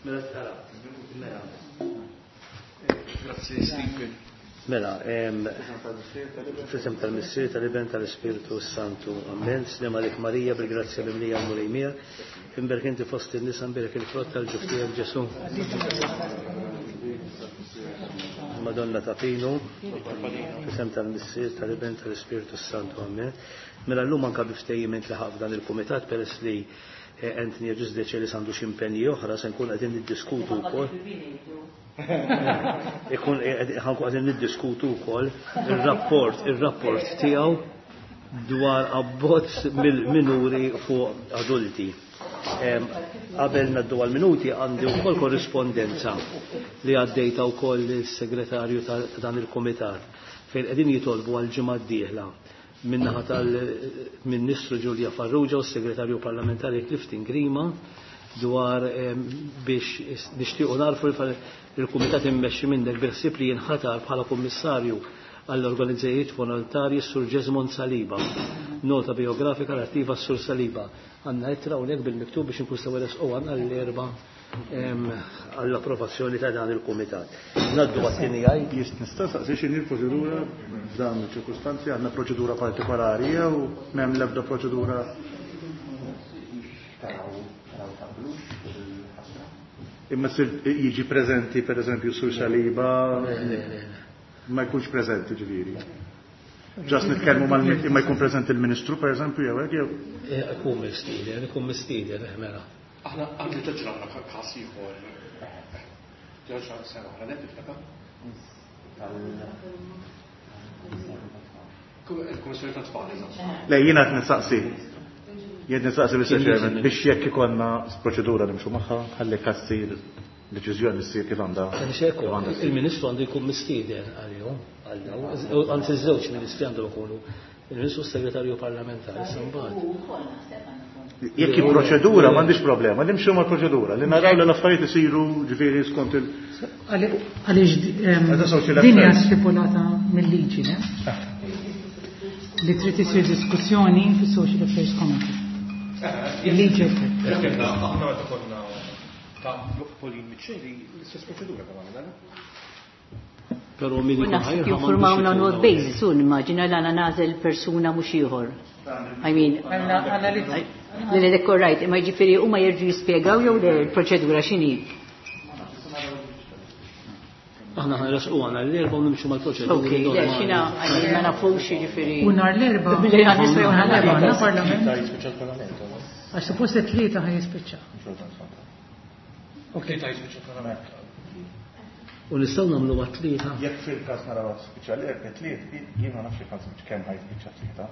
Mela tara. Mela. Grazzi Stephen. Mela, f'isem tal-Missier, tal-Iben, tal-Ispirtu Santu. Amen. Sliem għalik Marija, bil-grazzja mimlija l-Mulej miegħek. Imberk inti fost in-nisa mberek il-frott tal-ġuf tiegħek Ġesu. Madonna ta' Pinu, f'isem tal-Missier, tal-Iben, tal-Ispirtu Santu. Amen. Mela llum anka bi ftehim intlaħaq f'dan il-kumitat peress li Anthony Agius Decelis għandu xi impenji oħra se nkun qegħdin niddiskutu wkoll. Ikun ħankun qegħdin niddiskutu wkoll ir-rapport ir-rapport tiegħu dwar abbozz mill-minuri fuq adulti. Qabel naddu għal-minuti għandi wkoll korrispondenza li għaddejta wkoll lis-segretarju ta' dan il-kumitat fejn qegħdin jitolbu għal ġimgħa d-dieħla min-naħa tal-Ministru Julia Farrugia u s-Segretarju Parlamentari Clifton Grima dwar biex nixtiequ narfu il-Kumitat immexxi minnek bil-ħsieb li jinħatar bħala Kummissarju għall-Organizzajiet Volontarji s-Sur Jesmond Saliba. Nota biografika relattiva s-Sur Saliba. Għandna ittra hawnhekk bil-miktub biex inkun sew resqu għandna l-erba' għall-approvazzjoni ta' dan il-kumitat. Naddu għat-tieni għaj. Nista' saqsi x'inhi l-proċedura f'dawn iċ-ċirkustanzi għandna proċedura partikolari jew m'hemm l-ebda proċedura Imma sir jiġi preżenti pereżempju Sur Saliba ma jkunx preżenti ġifieri. Ġas nitkellmu mal imma jkun preżenti l-Ministru pereżempju jew hekk jew. Ikun mistieden, ikun mistieden, mela. Aħna għandi ġraġna każ ieħor. Ġraġna sena oħra, ne tiftakar? Il-Kummissjoni tat-Tfal, eżatt. Le jiena qed nistaqsi. Jien nistaqsi Mr. Chairman biex jekk ikollna proċedura nimxu magħha ħalli każ ssir deċiżjoni ssir kif għandha. Il-Ministru għandu jkun mistieden għalihom, għal dawn, anzi ż-żewġ ministri għandhom ikunu il-Ministru Segretarju Parlamentari imbagħad. Jekk hi proċedura m'għandix problema, nimxu mal-proċedura, li naraw li l-affarijiet isiru ġifieri skont il- Għaliex din hija stipulata mill-liġi, ne? Li trid isir diskussjoni fis-Social Affairs Committee. Il-liġi hekk. Aħna meta konna ta' Pauline Miceli, l-istess proċedura kemm għamilna. Però min U ikun naħseb ħajja jinformawna on what basis, u nimmaġina li għana nażel persuna mhux ieħor. I mean, li le all right, imma jiġifieri huma jerġgħu jispjegaw jew le l-proċedura x'inhi. Aħna ħanresqu għana l-erba' u nimxu mal-proċedura. Ok, le xina għalli ma nafux jiġifieri. U nhar l-erba' Billi għan nistgħu nhar l-erba' għandna parlament. Jispiċċa l-parlament. Għax suppost it-tlieta ħaj jispiċċa. Ok, ta' jispiċċa l-parlament. U nistgħu nagħmlu għat-tlieta. Jekk fil-każ naraw spiċċa l-erba' tliet, jien ma nafx jekk kemm ħaj jispiċċa tlieta.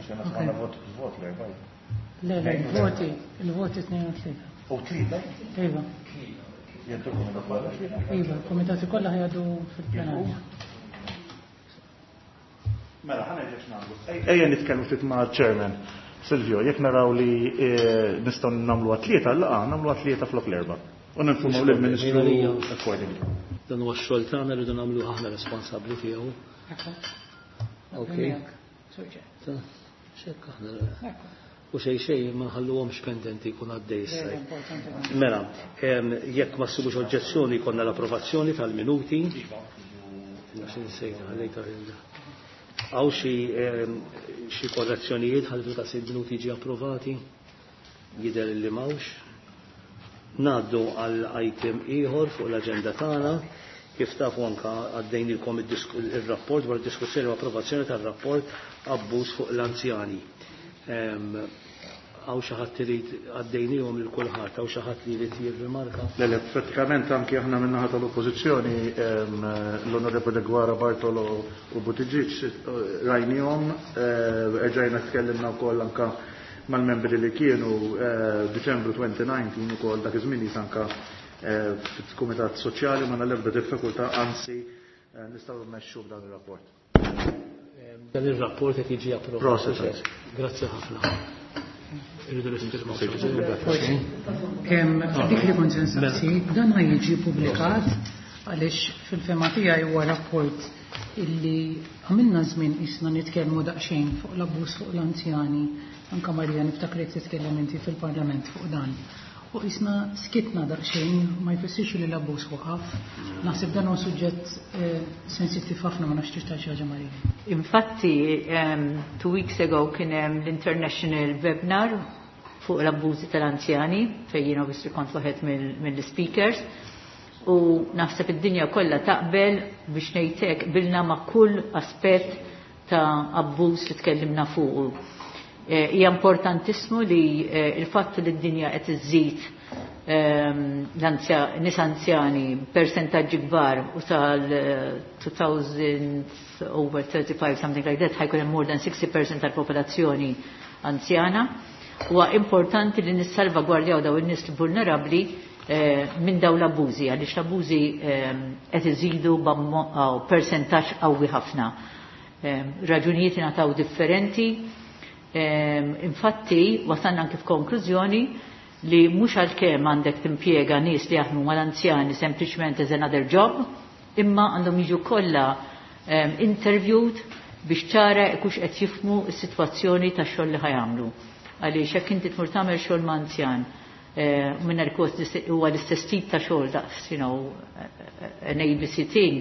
Għax jiena smajna vot vot l-erba'. Le, le, il-voti, il-voti tnejn u tlieta. U tlieta? Iva. Jgħaddu l-kumitat kollha? Iva, il-kumitati kollha ħajgħaddu fil-plenarja. Mela, ħa ngħidlek x'nagħmlu. Ejja nitkellmu ftit ma' chairman. Silvio, jekk naraw li nistgħu nagħmlu għat-tlieta, laqgħa nagħmlu għat-tlieta flok l-erba'. U ninformaw lill-Ministru accordingly. Dan huwa x-xogħol tagħna rridu nagħmlu aħna responsabbli tiegħu. Ok. Xekk aħna. U xejn xejn ma nħalluhomx pendenti jkun għaddej issa. Mela, jekk ma ssibux oġġezzjoni jkollna l-approvazzjoni tal-minuti. Hawn xi korrezzjonijiet ħalli fil-każ il-minuti jiġi approvati? Jidher li m'hawnx. Ngħaddu għal item ieħor fuq l-aġenda tagħna. Kif tafu anka għaddejnilkom ir-rapport dwar diskussjoni u approvazzjoni tar-rapport abbuż fuq l-anzjani. Hawn xi ħadd irid għaddejnihom lil kulħadd, hawn xi ħadd li jrid jirrimarka? Le, le, prattikament anki aħna min-naħa tal-Oppożizzjoni l-Onorevoli Gwara Bartolo u Buttigieg rajnihom, erġajna tkellimna wkoll anka mal-membri li kienu Diċembru 2019 ukoll dak iż-żmien anka fil-Kumitat Soċjali ma nal-ebda diffikultà, anzi nistgħu mmexxu b'dan ir-rapport. Dan ir-rapport qed jiġi approvat. Proset. Grazzi ħafna. Irridu nispjegaw. Kemm dik li kont se nsaqsi, dan ħa jiġi ppubblikat għaliex fil-fema tiegħi huwa rapport illi għamilna żmien isna nitkellmu daqsxejn fuq l-abbuż fuq l-anzjani, anka Marija niftakrek titkellem inti fil-Parlament fuq dan. U isna skitna daqsxejn, ma jfissirx li l-abbuż waqaf. Naħseb dan huwa suġġett sensittiv ħafna, ma nafx tixtaq xi ħaġa, Marija. Infatti, 2 weeks ago kien hemm l-International Webinar fuq l-abbużi tal-anzjani, fejn jien obviously kont waħed mill-speakers. U naħseb id-dinja kollha taqbel biex ngħidlek bilna ma' kull aspett ta' abbuż li tkellimna fuq. Hija importantissimu li il-fatt li d-dinja qed iżżid nies anzjani percentaġġi kbar u tal-2000 over 35, something like that, ħa jkun hemm more than 60% tal-popolazzjoni anzjana. Huwa importanti li nissalvagwardjaw daw in-nies vulnerabbli minn daw l-abbużi, għaliex l-abbużi qed iżidu percentaġġ qawwi ħafna. Raġunijiet ingħataw differenti. Infatti, wasalna anke f'konklużjoni li mhux għalkemm għandek timpjega nies li jaħdmu mal-anzjani sempliċement as another job, imma għandhom jiġu kollha interviewed biex ċara kux qed jifhmu s-sitwazzjoni tax-xogħol li ħa jagħmlu. Għaliex jekk inti tmur tagħmel xogħol ma' anzjan minn kos huwa l-istess tip ta' xogħol daqs, an ABC thing,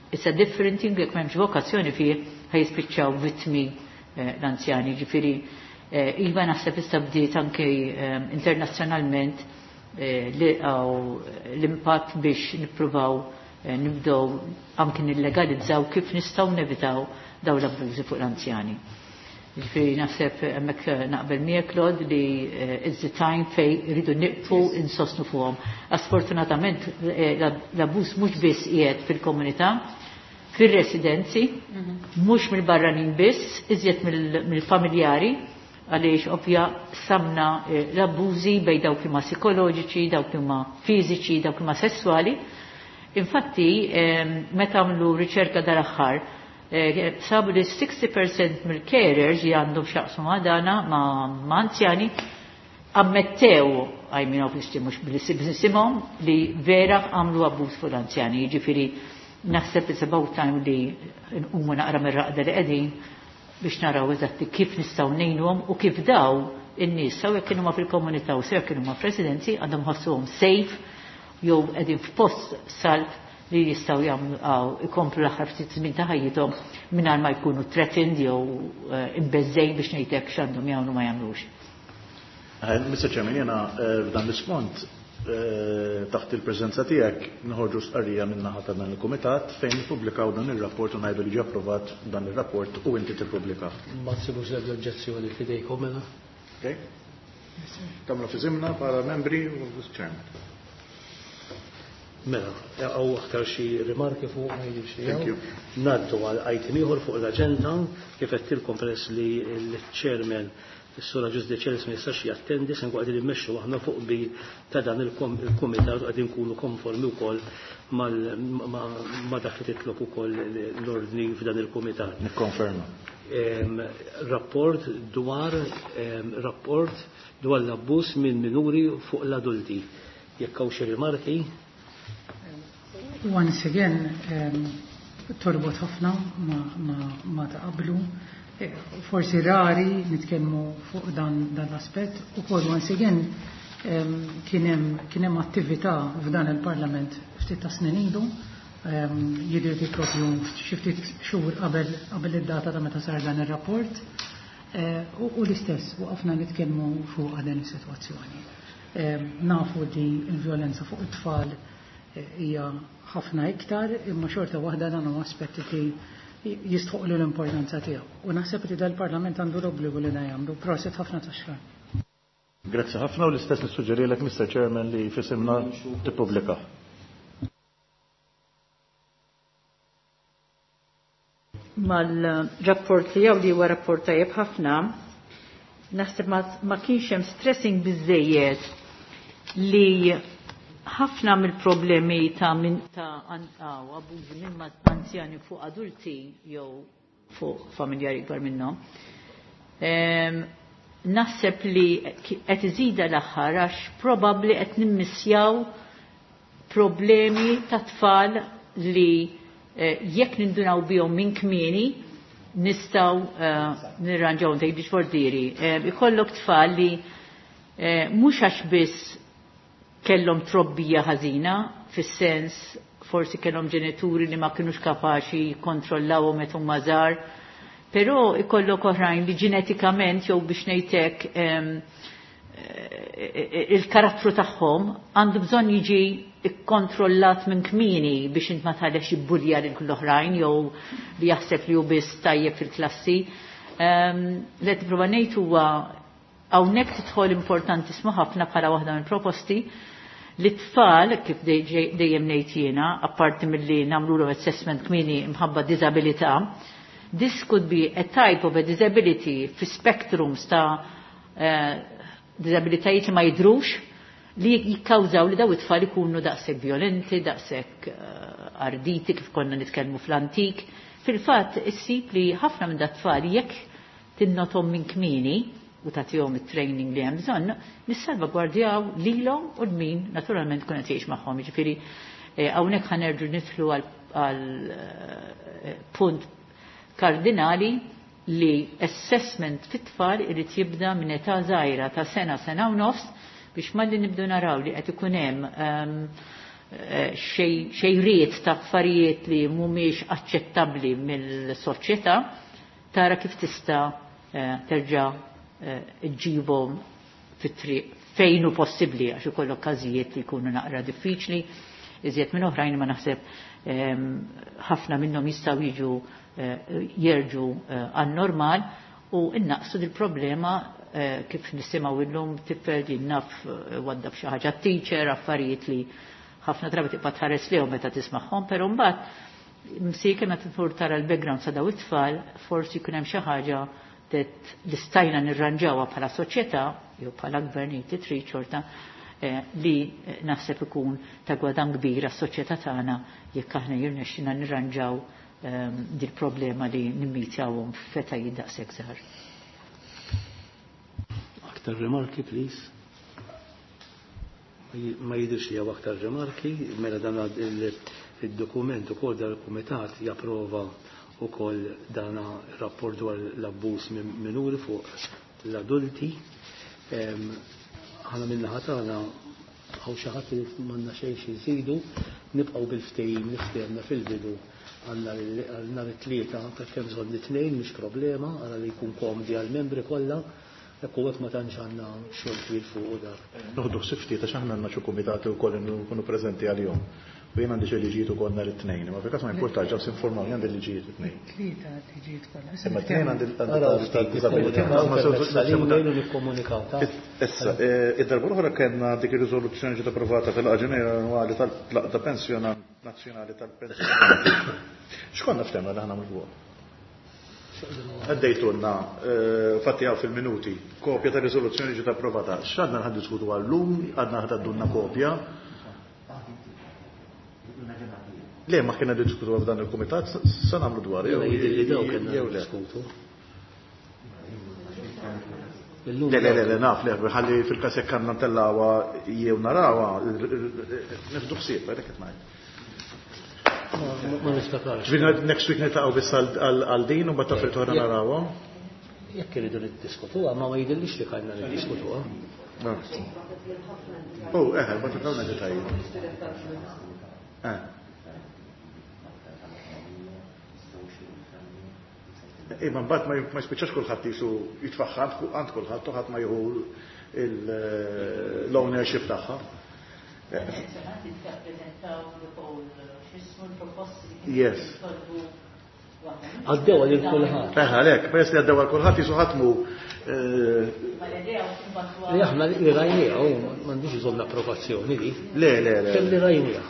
it's a different thing. Jekk m'hemmx vokazzjoni fih, ħa jispiċċaw vittmi l-anzjani. Ġifieri, iva, naħseb issa bdiet anke internazzjonalment l-impatt biex nippruvaw nibdew anke nillegalizzaw kif nistgħu nevitaw daw l-abbużi fuq l-anzjani. Ġifieri naħseb hemmhekk naqbel miegħek, Claude, li it's the time fej rridu nieqfu insostnu fuqhom. Sfortunatament l-abbuż mhux biss qiegħed fil-komunità, fil-residenzi, mhux mill-barranin biss, iżjed mill-familjari, għaliex ovvja samna l-abbużi bej dawk li ma psikoloġiċi, dawk li ma fiżiċi, dawk li ma sessuali. Infatti, meta għamlu riċerka dal-aħħar, sabu li 60% mill-carers li għandhom x'jaqsmu ma' dana ma' anzjani ammettew, I mean, obviously mhux bl-isimhom, li vera għamlu abbuż fuq l-anzjani. Jiġifieri naħseb it's about time li nqumu naqra mir-raqda li qegħdin biex naraw eżatti kif nistgħu ngħinuhom u kif daw in-nies, sew jekk kienu ma fil-komunità u sew jekk kienu ma f'residenzi, għandhom ħossuhom safe jew qegħdin f'post salv li jistgħu jagħmlu ikomplu l-aħħar ftit żmien ta' ħajjithom mingħajr ma jkunu threatened jew imbeżżejn biex ngħidlek x'għandhom jagħmlu ma jagħmlux. Mr. Chairman, jena f'dan l-isfond, taħt il-preżenza tiegħek, noħorġu stqarrija min-naħa ta' dan il-kumitat fejn nippubblikaw dan ir-rapport u ngħidu li ġie approvat dan ir-rapport u inti tippubblika. Ma tsibux l-oġġezzjoni fidejkom mela. Okay? Tagħmlu f'isimna bħala membri u chairman. Mela, għaw aktar xi rimarki fuq ma jidhirx li Thank hawn. you. Ngħaddu għal item ieħor fuq l-aġenda. Kif għedtilkom, peress li l-chairman, is-Sur Agius Decelis, ma jistax jattendi, se nkun qegħdin immexxu aħna fuq bi ta' dan il-kumitat u qegħdin nkunu konformi wkoll ma' dak li titlob ukoll l-ordni f'dan il-kumitat. Nikkonferma. Rapport dwar l-abbuż minn minuri fuq l-adulti. Jekk hawn xi rimarki? Once again, torbot ħafna ma ta' qablu. Forsi rari nitkellmu fuq dan l-aspett. Ukoll once again kien hemm attività f'dan il-Parlament ftit ta' snin ilu, jidher li propju xi ftit xhur qabel id-data ta' meta sar dan ir-rapport. U l-istess waqafna nitkellmu fuq din is-sitwazzjoni. Nafu li l-vjolenza fuq it-tfal hija ħafna iktar, imma xorta waħda dan huwa aspetti li jistħoqlu l-importanza tiegħu. U naħseb li dal-Parlament għandu l-obbligu li dan jagħmlu. Prosit ħafna tax-xogħol. Grazzi ħafna u l-istess nissuġġerilek, Mr. Chairman, li f'isimna tippubblika. Mal-rapport tiegħu, li huwa rapport tajjeb ħafna, naħseb ma kienx hemm stressing biżejjed li ħafna mill-problemi ta' min ta' abużi minn anzjani fuq adulti jew fuq familjari ikbar minnhom. Naħseb li qed iżida l-aħħar għax probabbli qed nimmissjaw problemi ta' tfal li Jekk nindunaw bihom minn kmieni, nistgħu nirranġaw tgħidix fordiri. Ikollok tfal li mhux għax biss kellhom trobbija ħażina, fis-sens forsi kellhom ġenituri li ma kinux kapaċi jikkontrollawhom meta huma żgħar, però ikollok oħrajn li ġenetikament jew biex ngħidlek il-karattru tagħhom għandu bżonn jiġi ikkontrollat minn kmieni biex int ma tħallex jibbulja lil l-oħrajn jew li jaħseb li hu biss tajjeb fil-klassi. Li qed nipprova ngħid huwa hawnhekk tidħol importantissimu ħafna bħala waħda mill-proposti li t-tfal, kif dejjem ngħid jiena, apparti milli nagħmlulhom assessment kmieni mħabba diżabilità, this could be a type of a disability fi spectrums ta' disabilitajiet li ma jidhrux li jikkawżaw li daw it-tfal ikunu daqshekk violenti, daqshekk arditi kif konna nitkellmu fl-antik. Fil-fatt issib li ħafna minn dat-tfal jekk tinnotom minn kmieni u tagħtihom it-training li hemm bżonn, nissalvagwardjaw lilhom u l-min naturalment kun qed jgħix magħhom. Jiġifieri hawnhekk ħanerġu nidħlu għal punt kardinali li assessment fit-tfal irid jibda minn età żgħira ta' sena, sena u nofs biex malli nibdu naraw li qed ikun hemm xejriet ta' affarijiet li mhumiex aċċettabbli mill-soċjetà, tara kif tista' terġa' ġġibhom fit-triq fejn hu possibbli, għax ikollok każijiet li jkunu naqra diffiċli, iżjed minn oħrajn ma naħseb ħafna minnhom jistgħu jiġu jerġu għan-normal u innaqsu dil-problema kif nisimgħu illum tifel din naf waddab xi ħaġa teacher, affarijiet li ħafna drabi tibqa' tħares lehom meta tismagħhom, però mbagħad msieke meta tmur tara l-background sa daw it-tfal, forsi jkun hemm xi ħaġa li stajna nirranġawha bħala soċjetà jew bħala gvernijiet li trid xorta li naħseb ikun ta' gwadan kbir għas-soċjetà tagħna jekk aħna jirnexxina nirranġaw dil problema li nimmitjawhom f'etajiet daqshekk żgħar. Aktar rimarki, please. Ma jidhirx li hawn aktar rimarki, mela dan il-dokument ukoll dan il-kumitat japprova ukoll dan rapport dwar l-abbuż minuri fuq l-adulti. Aħna min-naħa tagħna hawn xi ħadd li m'għandna xejn xi nżidu, nibqgħu bil-ftehim li ftehemna fil-bidu għandna nhar it-tlieta ta' kemm bżonn it-tnejn mhix problema, ara li jkun komdi għall-membri kollha. Ekku hekk ma tantx għandna xogħol twil fuq u dak. Noħdu ħsieb ftit għax aħna għandna xi kumitati wkoll nkunu preżenti għalihom. U jien għandi xi liġijiet ukoll nhar it-tnejn, imma fil-każ ma jimpurtax ġew s'informawni għandi liġijiet it-tnejn. Tlieta liġijiet kollha. Imma t-tnejn għandi Araw ftit, disabilità. Ma sewżu nikkomunikaw ta'. Issa, id-darba l-oħra kellna dik ir-riżoluzzjoni ġiet approvata fil-laqgħa ġenerali annwali tal-Laqda Pensjonant Nazzjonali tal-Pensjonanti. X'konna ftehmna li ħa nagħmlu fuqha? Għaddejtulna, fatti għaw fil-minuti, kopja ta' riżoluzzjoni ġiet approvata. X'għadna ħa diskutu għallum, għadna ħa tgħaddulna kopja. Le, ma kienna diskutu f'dan il-kumitat, sa nagħmlu dwar. Jew jidhirli daw kellna Jew le. diskutu. Le, le, le, le, naf, le, ħalli fil-każ jekk għandna ntellgħuha jew narawha, nieħdu ħsieb, għalhekk qed ngħid. Ma niftakarx. Ġifieri next week niltaqgħu biss għal din u mbagħad taf oħra narawha. Jekk iridu niddiskutuha, ma jidhirlix li kellna niddiskutuha. Oh, eħe, ma tafawna detalji. Imma mbagħad ma jispiċċax kulħadd jisu jitfaħħa għand kulħadd u ħadd ma jieħu l-ownership tagħha. Yes. Għaddew għal kulħadd. Eħe, għalhekk, peress li għaddew għal kulħadd jisu ħatmu. Li aħna li rajnija, u m'għandix bżonn approvazzjoni li. Le, le, le. Kemm li rajnija.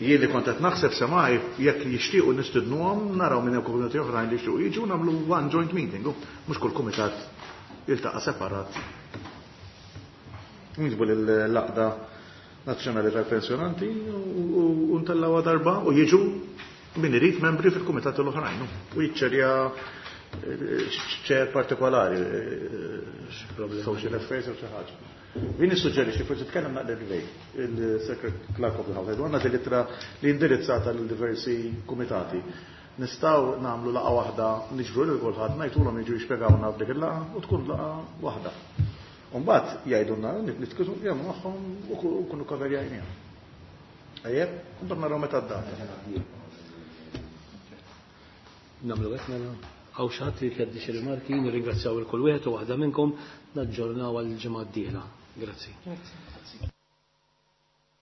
Jien li kont qed naħseb semaj jekk jixtiequ nistidnuhom naraw minn hemm komitati oħrajn li jixtiequ jiġu nagħmlu one joint meeting, u mhux kull kumitat jiltaqa' separat. Niġbu lill-Laqda Nazzjonali tal-Pensjonanti u ntellgħuha darba u jiġu min irid membri fil-kumitati l-oħrajn u jiċċerja ċer partikolari, social affairs u xi ħaġa. Jien nissuġġerixxi forsi tkellem naqra Ray, il-Secret Clerk of the House, għandna din l-ittra li indirizzata lil diversi kumitati. Nistgħu nagħmlu laqgħa waħda niġbru lil kulħadd ngħidulhom jiġu jispjegawna f'dik il-laqgħa u tkun laqgħa waħda. U mbagħad jgħidulna nitkellmu jagħmlu magħhom u nkunu koverjajniha. Ejjeb, mbagħad naraw meta d-data. Nagħmlu hekk mela. Hawn xi ħadd li jrid xi rimarki, nirringrazzjaw il kull wieħed u waħda minnkom, naġġornaw għall-ġimgħa d-dieħla. Grazzi. Grazzi.